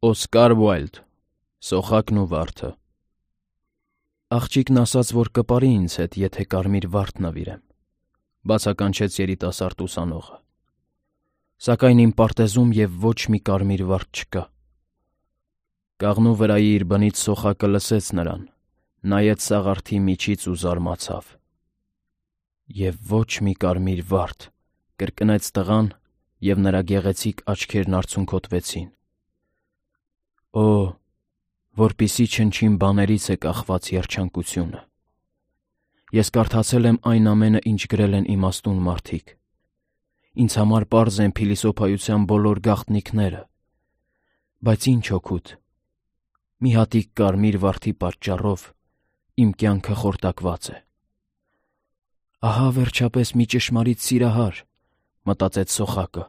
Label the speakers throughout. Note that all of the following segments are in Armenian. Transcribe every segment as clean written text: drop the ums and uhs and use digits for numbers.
Speaker 1: Օսկար Ուայլդ, Սոխակն ու վարդը։ Աղջիկն ասաց, որ կպարի ինձ հետ, եթե կարմիր վարդ նվիրեմ, բացականչեց երիտասարդ ուսանողը։ Սակայն իմ պարտեզում և ոչ մի կարմիր վարդ չկա։ Կաղնու վրայի իր բնից Սոխակը լսեց նրան, նայեց սաղարթի միջից ու զարմացավ։ Եվ ոչ մի կարմիր վարդ, կրկնեց տղան, և նրա գեղեցիկ աչքերն արցունքոտվեցին։ Օ, որպիսի չնչին բաներից է կախված երջանկությունը։ Ես կարդացել եմ այն ամենը, ինչ գրել են իմաստուն մարդիկ։ Ինձ համար պարզ են փիլիսոփայության բոլոր գաղտնիքները, բայց ինչ օգուտ։ Մի հատիկ կարմիր վարդի պատճառով իմ կյանքը խորտակված է։ Ահա վերջապես մի ճշմարիտ սիրահար, մտածեց Սոխակը։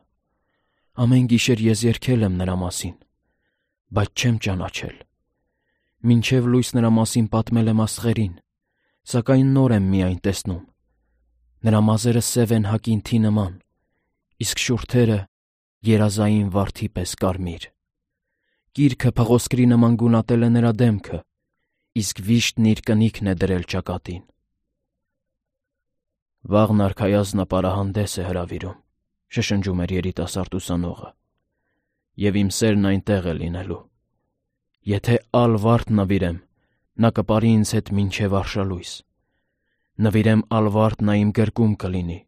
Speaker 1: Ամեն գիշեր ես երգել եմ նրա մասին, բայց չեմ ճանաչել։ Մինչև լույս նրա մասին պատմել եմ աստղերին, սակայն նոր եմ միայն տեսնում։ Նրա մազերը սև են հակինթի նման, իսկ շուրթերը երազային վարդի պես կարմիր։ Գիրքը փղոսկրի նման գունատել է նրա դեմքը, իսկ վիշտն իր կնիքն է դրել ճակատին։ Վաղն արքայազնը պարահանդես է հրավիրում, շշնջում էր երիտասարդ ուսանողը, և իմ սերն այնտեղ է լինելու։ Եթե ալ վարդ նվիրեմ, նա կպարի ինձ հետ մինչև արշալույս։ Նվիրեմ ալ վարդ, նա իմ գրկում կլինի,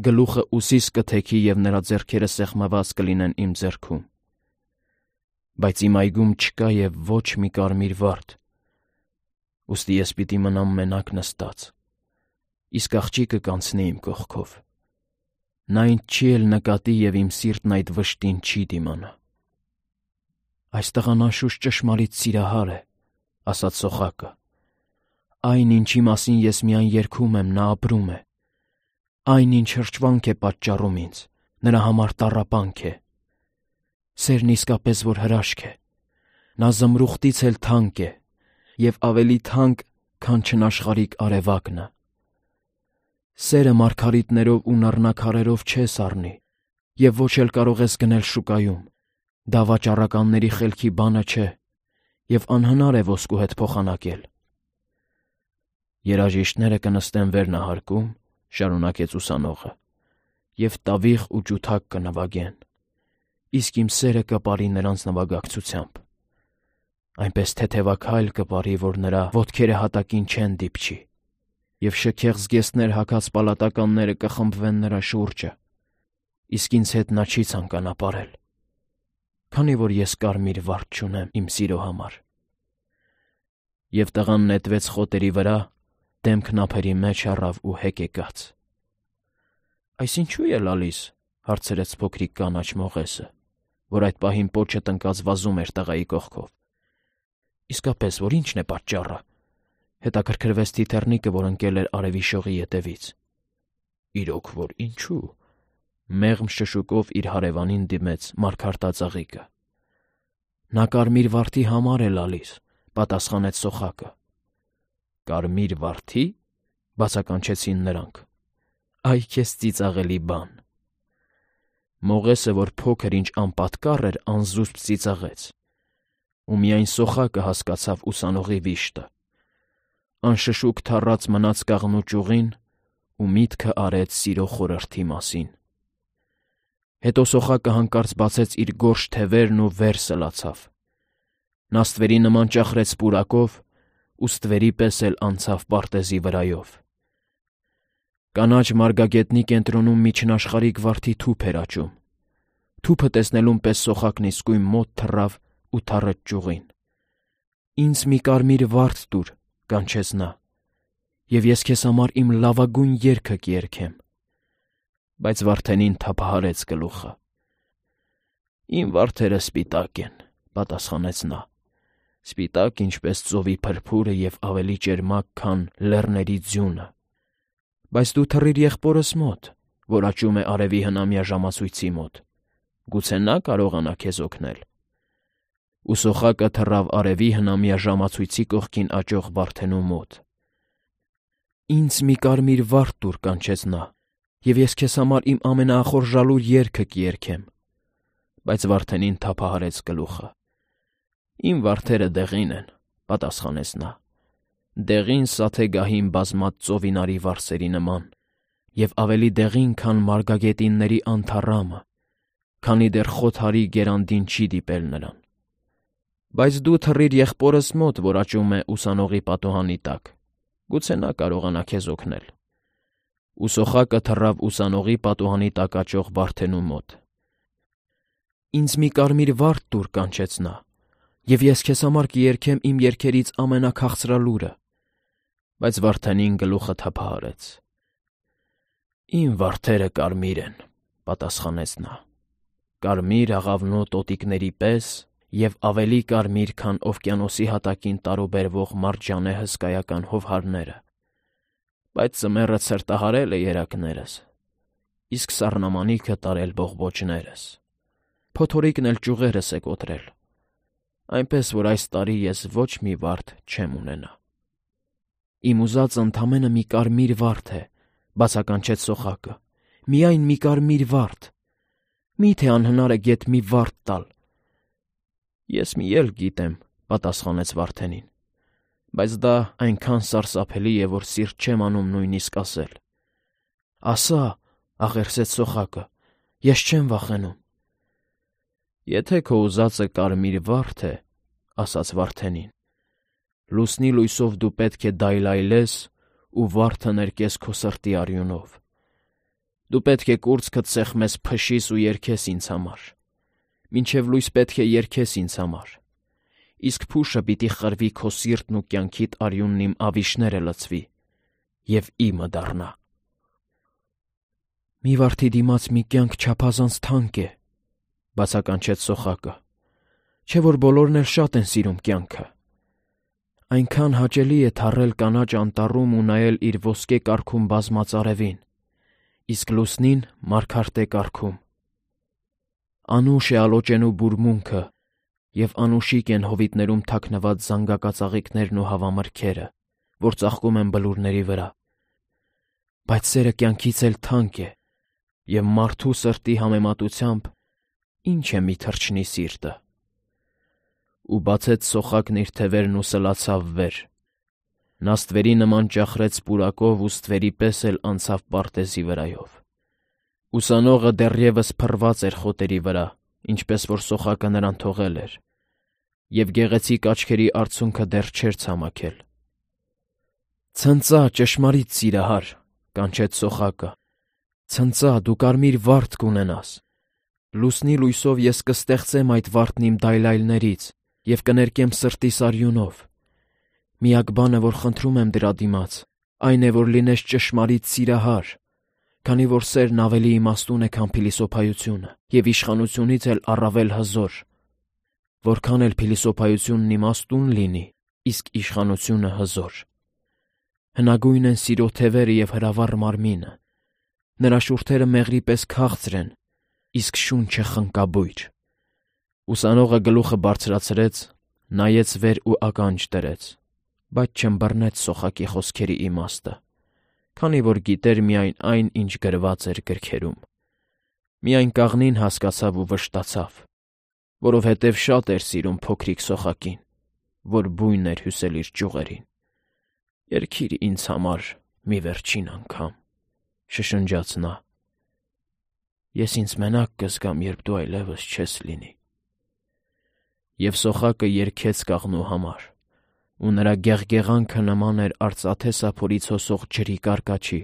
Speaker 1: գլուխը ուսիս կթեքի և նրա ձեռքերը սեղմված կլինեն իմ ձեռքում։ Բայց իմ այգում չկա և ոչ մի կարմիր վարդ, ուստի ես պիտի մնամ մենակ նստած, իսկ աղջիկը կանցնի իմ կողքով։ Նա ինձ չի էլ նկատի և իմ սիրտն այդ վշտին չի դիմանա։ Այս տղան անշուշտ ճշմարիտ սիրահար է, ասաց Սոխակը։ Այն, ինչի մասին ես միայն երգում եմ, նա ապրում է։ Այն, ինչ հրճվանք է պատճառում ինձ, նրա համար տառապանք է։ Սերն իսկապես որ հրաշք է։ Նա զմրուխտից էլ թանկ է, և ավելի թանկ, քան չնաշխարհիկ արևակնը։ Սերը մարգարիտներով ու նռնակարերով չես առնի, և ոչ էլ կարող ես գնել շուկայում։ Դա վաճառականների խելքի բանը չէ, և անհնար է ոսկու հետ փոխանակել։ Երաժիշտները կնստեն վերնահարկում, շարունակեց ուսանողը, և տավիղ ու ջութակ կնվագեն, իսկ իմ սերը կպարի նրանց նվագակցությամբ։ Այնպես թեթևաքայլ կպարի, որ նրա ոտքերը հատակին չեն դիպչի, և շքեղ զգեստներ հագած պալատականները կխմբվեն նրա շուրջը, իսկ ինձ հետ նա չի ցանկանա պարել, քանի որ ես կարմիր վարդ չունեմ իմ սիրո համար։ Եվ տղան նետվեց խոտերի վրա, դեմքն ափերի մեջ առավ ու հեկեկաց։ Այս ինչու է լալիս, հարցրեց փոքրիկ կանաչ մողեսը, որ այդ պահին պոչը տնկած վազում էր տղայի կողքով։ Իսկապես, որ ի՞նչն է պատճառը, հետաքրքրվեց թիթեռնիկը, որ ընկել էր արևի շողի ետևից։ Իրոք որ ինչու, մեղմ շշուկով իր հարևանին դիմեց մարգարտածաղիկը։ Նա կարմիր վարդի համար է լալիս, պատասխանեց Սոխակը։ Կարմիր վարդի, բացականչեցին նրանք։ Այ քեզ ծիծաղելի բան։ Մողեսը, որ փոքր ինչ անպատկառ էր, անզուսպ ծիծաղեց, ու միայն Սոխակը հասկացավ ուսանողի վիշտը։ Անշշուկ թառած մնաց կաղնու ճյուղին ու միտքը արեց սիրո խորհրդի մասին։ Հետո Սոխակը հանկարծ բացեց իր գորշ թևերն ու վեր սլացավ։ Նա ստվերի նման ճախրեց պուրակով ու ստվերի պես էլ անցավ պարտեզի վրայով։ Կանաչ մարգագետնի կենտրոնում մի չնաշխարհիկ վարդի թուփ էր աճում։ Թուփը տեսնելուն պես Սոխակն իսկույն մոտ թռավ ու թռեց ճյուղին։ Ինձ մի կարմիր վարդ տուր, կանչեց նա, և ես քեզ համար իմ լավագույն երգը կերգեմ։ Բայց վարդենին թափահարեց գլուխը։ Իմ վարդերը սպիտակ են, պատասխանեց նա, սպիտակ ինչպես ծովի փրփուրը և ավելի ճերմակ, քան լեռների ձյունը։ Բայց դու թռիր եղբորս մոտ, որ աճում է արևի հնամյա ժամացույցի մոտ, գուցե նա կարողանա քեզ օգնել։ Ու Սոխակը թռավ արևի հնամյա ժամացույցի կողքին աճող վարդենու մոտ։ Ինձ մի կարմիր վարդ տուր, կանչեց նա, և ես քեզ համար իմ ամենաախորժալու երգը կերգեմ։ Բայց վարդենին թափահարեց գլուխը։ Իմ վարդերը դեղին են, պատասխանեց նա, դեղին սաթեգահին բազմած ծովինարի վարսերի նման, և ավելի դեղին, քան մարգագետինների անթառամը, քանի դեռ խոթարի գերանդին չի դիպել նրան։ Բայց դու թռիր եղբորս մոտ, որ աճում է ուսանողի պատուհանի տակ, գուցե նա կարողանա քեզ օգնել։ Ու սոխակը թռավ ուսանողի պատուհանի տակ աճող վարդենու մոտ։ Ինձ մի կարմիր վարդ տուր, կանչեց նա, և ես քեզ համար կերքեմ իմ երգերից ամենաքաղցրալուրը, բայց վարդենին գլուխը թափահարեց։ Իմ վարդերը կարմիր են, պատասխանեց նա, կարմիր աղավնու տոտիկների պես և ավելի կարմիր, քան օվկիանոսի հատակին տարուբերվող մարջանե հսկայական հովհարները, բայց ձմեռը ցրտահարել է երակներս, իսկ սառնամանիքը տարել բողբոջներս, փոթորիկն էլ ճյուղերս է կոտրել, այնպես որ այս տարի ես ոչ մի վարդ չեմ ունենա։ Իմ ուզածը ընդամենը մի կարմիր վարդ է, բացականչեց սոխակը, միայն մի կարմիր վարդ, մի՞թե անհնար է գեթ մի վարդ տալ։ Ես մի ելք գիտեմ, պատասխանեց վարդենին, բայց դա այնքան սարսափելի է, որ սիրտ չեմ անում նույնիսկ ասել։ Ասա, աղերսեց սոխակը, ես չեմ վախենում։ Եթե քո ուզածը կարմիր վարդ է, ասաց վարդենին, լուսնի լույսով դու պետք է դայլայլես ու վարդը ներկես քո սրտի արյունով։ Դու պետք է կուրծքդ սեղմես փշիս ու երգես ինձ համար, մինչև լույս պետք է երգես ինձ համար, իսկ փուշը պիտի խրվի քո սիրտն ու կյանքիդ արյունն իմ ավիշները լցվի և իմը դառնա։ Մի վարդի դիմաց մի կյանք չափազանց թանկ է, բացականչեց սոխակը, չէ՞ որ բոլորն էլ շատ են սիրում կյանքը։ Այնքան հաճելի է թռել կանաչ անտառում ու նայել իր ոսկե կառքում բազմած արևին, իսկ լուսնին մարգարտե կառքում։ Անուշ է ալոճենու բուրմունքը, և անուշիկ են հովիտներում թաքնված զանգակածաղիկներն ու հավամրգերը, որ ծաղկում են բլուրների վրա։ Բայց սերը կյանքից էլ թանկ է, և մարդու սրտի համեմատությամբ ինչ է մի թռչնի սիրտը։ Ու բացեց սոխակն իր թևերն ու սլացավ վեր։ Նա ստվերի նման ճախրեց պուրակով ու ստվերի պես էլ անցավ պարտեզի վրայով։ Ուսանողը դեռևս փռված էր խոտերի վրա, ինչպես որ սոխակը նրան թողել էր, և գեղեցիկ աչքերի արցունքը դեռ չէր ցամաքել։ Ցնծա, ճշմարիտ սիրահար, կանչեց սոխակը, ցնծա, դու կարմիր վարդ կունենաս։ Լուսնի լույսով ես կստեղծեմ այդ վարդն իմ դայլայլներից և կներկեմ սրտիս արյունով։ Միակ բանը, որ խնդրում եմ դրա դիմաց, այն է, որ լինես ճշմարիտ սիրահար, քանի որ սերն ավելի իմաստուն է, քան փիլիսոփայությունը, և իշխանությունից էլ առավել հզոր։ Որքան էլ փիլիսոփայությունն իմաստուն լինի, իսկ իշխանությունը հզոր։ Հնագույն են սիրո թևերը և հրավառ մարմինը, նրա շուրթերը մեղրի պես քաղցր են, իսկ շունչը խնկաբույր։ Ուսանողը գլուխը բարձրացրեց, նայեց վեր ու ականջ դրեց, բայց չըմբռնեց սոխակի խոսքերի իմաստը, քանի որ գիտեր միայն այն, ինչ գրված էր գրքերում։ Միայն կաղնին հասկացավ ու վշտացավ, որովհետև շատ էր սիրում փոքրիկ սոխակին, որ բույն էր հյուսել իր ճյուղերին։ Երգիր ինձ համար մի վերջին անգամ, շշնջաց նա։ Ես ինձ մենակ կզգամ, երբ դու այլևս չես լինի։ Եվ սոխակը երգեց կաղնու համար, ու նրա գեղգեղանքը նման էր արծաթե սափորից հոսող ջրի կարկաչի։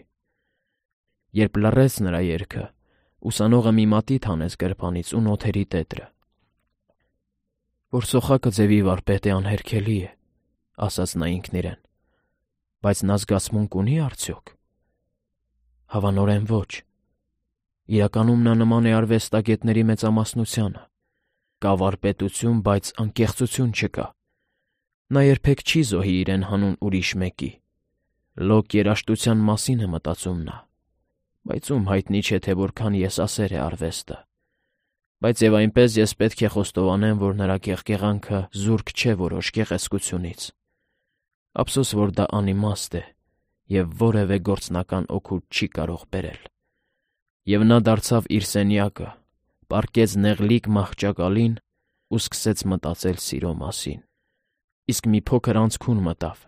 Speaker 1: Երբ լռեց նրա երգը, ուսանողը մի մատիտ հանեց գրպանից ու նոթերի տետրը։ Որ սոխակը ձևի վարպետ է անհերքելի է, ասաց նա ինքն իրեն, բայց նա զգացմունք ունի արդյոք։ Հավանորեն ոչ։ Իրականում նա նման է արվեստագետների մեծամասնությանը։ Կա վարպետություն, բայց անկեղծություն չկա։ Նա երբեք չի զոհի իրեն հանուն ուրիշ մեկի։ Լոկ երաժշտության մասին է մտածում նա, բայց ում հայտնի չէ, թե որքան եսասեր է արվեստը։ Բայց և այնպես ես պետք է խոստովանեմ, որ նրա գեղգեղանքը զուրկ չէ որոշ գեղեցկությունից։ Ափսոս, որ դա անիմաստ է և որևէ գործնական օգուտ չի կարող բերել։ Եվ նա դարձավ իր սենյակը, պառկեց նեղլիկ մահճակալին ու սկսեց մտածել սիրո մասին։ Իսկ մի փոքր անցքուն մտավ։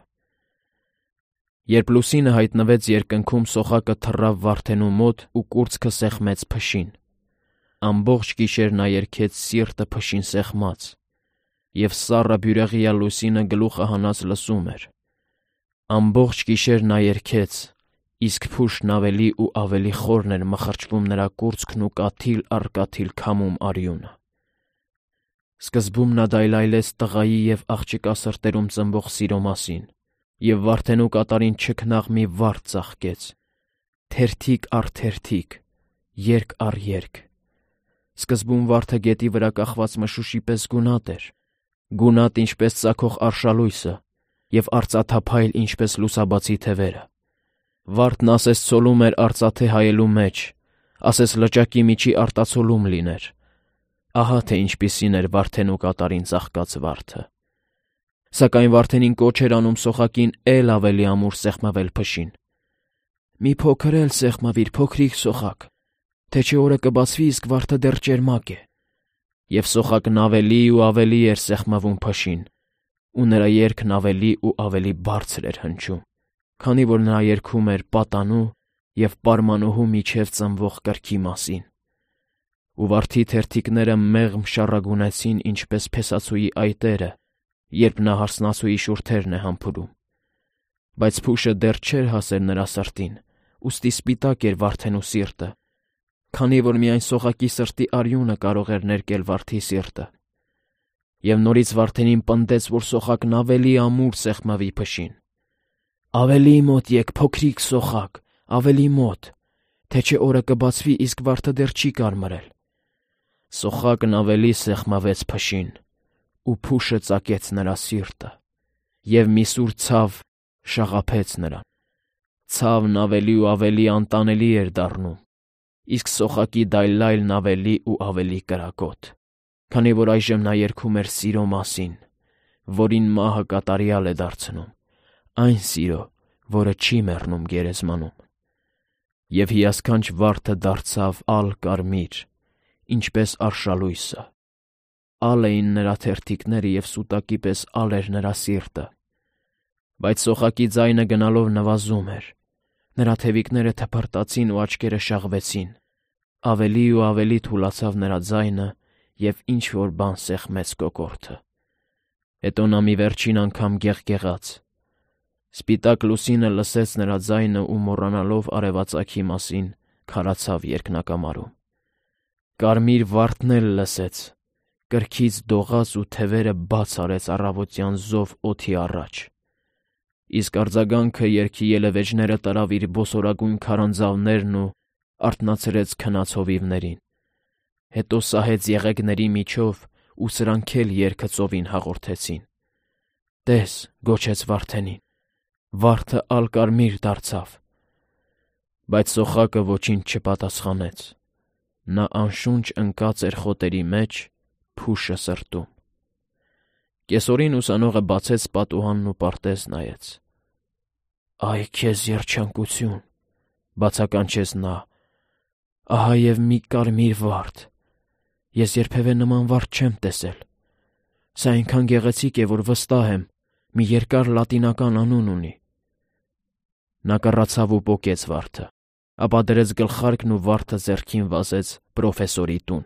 Speaker 1: Երբ լուսինը հայտնվեց երկնքում, սոխակը թռավ վարդենու մոտ ու կուրծքը սեղմեց փշին։ Ամբողջ գիշեր նա երգեց սիրտը փշին սեղմած, և սառը բյուրեղյա լուսինը գլուխը հանած լսում էր։ Ամբողջ գիշեր նա երգեց, իսկ փուշն ավելի ու ավելի խորն էր մխրճվում նրա կուրծքն ու կաթիլ առ կաթիլ քամում արյունը։ Սկզբում նա դայլայլեց տղայի և աղջկա սրտերում ծնվող սիրո մասին և վարդենու կատարին չքնաղ մի վարդ ծաղկեց, թերթիկ առ թերթիկ, երգ առ երգ։ Սկզբում վարդը գետի վրա կախված մշուշի պես գունատ էր, գունատ ինչպես ծագող արշալույսը և արծաթափայլ ինչպես լուսաբացի թևերը։ Վարդն ասես ցոլում էր արծաթե հայելու մեջ, ասես լճակի միջի արտացոլում լիներ։ Ահա թե ինչպիսին էր վարդենու կատարին ծաղկած վարդը։ Սակայն վարդենին կոչ էր անում սոխակին էլ ավելի ամուր սեղմվել փշին։ «Մի փոքր էլ սեղմվիր, փոքրիկ սոխակ, թե չէ օրը կբացվի, իսկ վարդը դեռ ճերմակ է»։ Եվ սոխակն ավելի ու ավելի էր սեղմվում փշին, ու նրա երգն ավելի ու ավելի բարձր էր հնչում, քանի որ նա երգում էր պատանու և պարմանուհու միջև ծնվող կրքի մասին։ Ու վարդի թերթիկները մեղմ շառագունեցին ինչպես փեսացուի այտերը, երբ նա հարսնացուի շուրթերն է համբուրում։ Բայց փուշը դեռ չէր հասել նրա սրտին, ուստի սպիտակ էր վարդենու սիրտը, քանի որ միայն սոխակի սրտի արյունը կարող էր ներկել վարդի սիրտը։ Եվ նորից վարդենին պնդեց, որ սոխակն ավելի ամուր սեղմվի փշին։ «Ավելի մոտ եկ, փոքրիկ սոխակ, ավելի մոտ, թե չէ օրը կբացվի, իսկ վարդը դեռ չի կարմրել»։ Սոխակն ավելի սեղմվեց փշին, ու փուշը ծակեց նրա սիրտը, և մի սուր ցավ շաղափեց նրան։ Ցավն ավելի ու ավելի անտանելի էր դառնում, իսկ սոխակի դայլայլն ավելի ու ավելի կրակոտ, քանի որ այժմ նա երգում էր սիրո մասին, որին մահը կատարյալ է դարձնում, այն սիրո, որը չի մեռնում գերեզմանում։ Եվ հիասքանչ վարդը դարձավ ալ-կարմիր, ինչպես արշալույսը։ Ալ էին նրա թերթիկները և սուտակի պես ալ էր նրա սիրտը։ Բայց սոխակի ձայնը գնալով նվազում էր, նրա թևիկները թփրտացին ու աչքերը շաղվեցին, ավելի ու ավելի թուլացավ նրա ձայնը և ինչ-որ բան սեղմեց կոկորդը։ Հետո նա մի վերջին անգամ գեղգեղաց։ Սպիտակ լուսինը լսեց նրա ձայնը ու մոռանալով արևածագի մասին քարացավ երկնակամարում։ Կարմիր վարդն էլ լսեց, կրքից դողաց ու թևերը բաց արեց առավոտյան զով օդի առաջ։ Իսկ արձագանքը երգի ելևէջները տարավ իր բոսորագույն քարանձավներն ու արթնացրեց քնած հովիվներին։ Հետո սահեց եղեգների միջով, ու սրանք էլ երգը ծովին հաղորդեցին։ «Տես», գոչեց վարդենին, «վարդը ալ-կարմիր դարձավ»։ Բայց սոխակը ոչինչ չպատասխանեց։ Նա անշունչ ընկած էր խոտերի մեջ, փուշը սրտում։ Կեսօրին ուսանողը բացեց պատուհանն ու պարտեզ նայեց։ «Այ քեզ երջանկություն», բացականչեց նա, «ահա և մի կարմիր վարդ։ Ես երբևէ նման վարդ չեմ տեսել։ Սա այնքան գեղեցիկ է, որ վստահ եմ, մի երկար լատինական անուն ունի»։ Նա կռացավ ու պոկեց վարդը, ապա դրեց գլխարկն ու վարդը ձեռքին վազեց պրոֆեսորի տուն։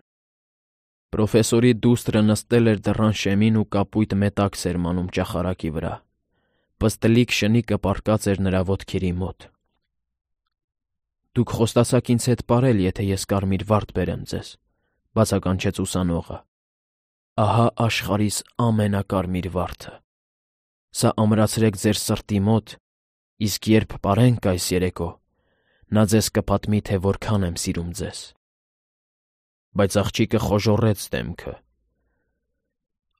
Speaker 1: Պրոֆեսորի դուստրը նստել էր դռան շեմին ու կապույտ մետաքս էր մանում ճախարակի վրա։ Պստլիկ շնիկը պառկած էր նրա ոտքերի մոտ։ «Դուք խոստացաք ինձ հետ պարել, եթե ես կարմիր վարդ բերեմ ձեզ», բացականչեց ուսանողը։ «Ահա աշխարհիս ամենակարմիր վարդը։ Սա ամրացրեք ձեր սրտի մոտ, իսկ երբ պարենք այս երեկո, նա ձեզ կպատմի, թե որքան եմ սիրում ձեզ»։ Բայց աղջիկը խոժոռեց դեմքը։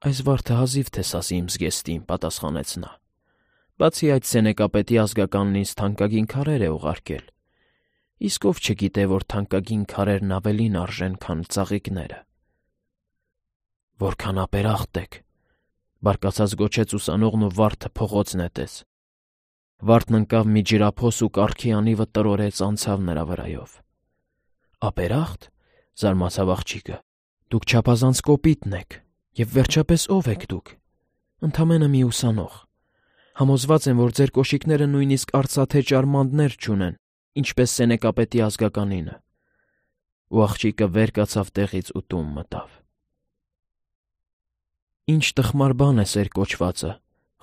Speaker 1: «Այս վարդը հազիվ թե սասի իմ զգեստին», պատասխանեց նա։ «Բացի այդ, Սենեկապետի ազգականն ինձ թանկագին քարեր է ուղարկել, իսկ ով չգիտե, որ թանկագին քարերն ավելին արժեն, քան ծաղիկները»։ «Որքան ապերախտ եք», բարկացած գոչեց ուսանողն ու վարդը փողոց նետեց։ Վարդն ընկավ մի ջրափոս ու կառքի անիվը տրորեց անցավ նրա վրայով։ «Ապերախտ», զարմացավ աղջիկը, «դուք չափազանց կոպիտն եք, Եվ վերջապես ով եք դուք։ Ընդամենը մի ուսանող։ Համոզված եմ, որ ձեր կոշիկները նույնիսկ արծաթե ճարմանդներ չունեն, ինչպես Սենեկապետի ազգականինը։ Ու աղջիկը վեր կացավ տեղից ու տուն մտավ։ Ինչ տխմար բան է սեր կոչվածը,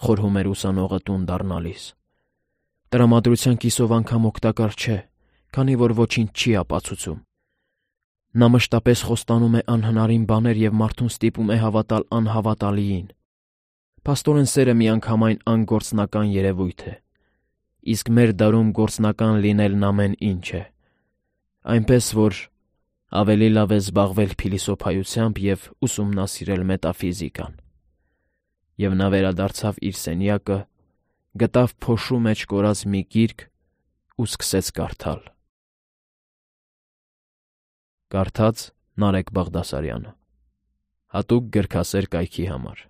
Speaker 1: խորհում էր ուսանողը տուն դառնալիս։ Տրամադրության կիսով անգամ օգտակար չէ, քանի որ ոչինչ չի ապացուցում։ Նա մշտապես խոստանում է անհնարին բաներ և մարդուն ստիպում է հավատալ անհավատալիին։ Փաստորեն սերը միանգամայն անգործնական երևույթ է, իսկ մեր դարում գործնական լինելն ամեն ինչ է, այնպես որ ավելի լավ է զբաղվել փիլիսոփայությամբ և ուսումնասիրել մետաֆիզիկան։ Եվ նա վերադարձավ իր սենյակը, գտավ փոշու մեջ կորած մի գիրք ու սկսեց կարդալ։ Կարդաց Նարեկ Բաղդասարյանը, հատուկ գրքասեր կայքի համար։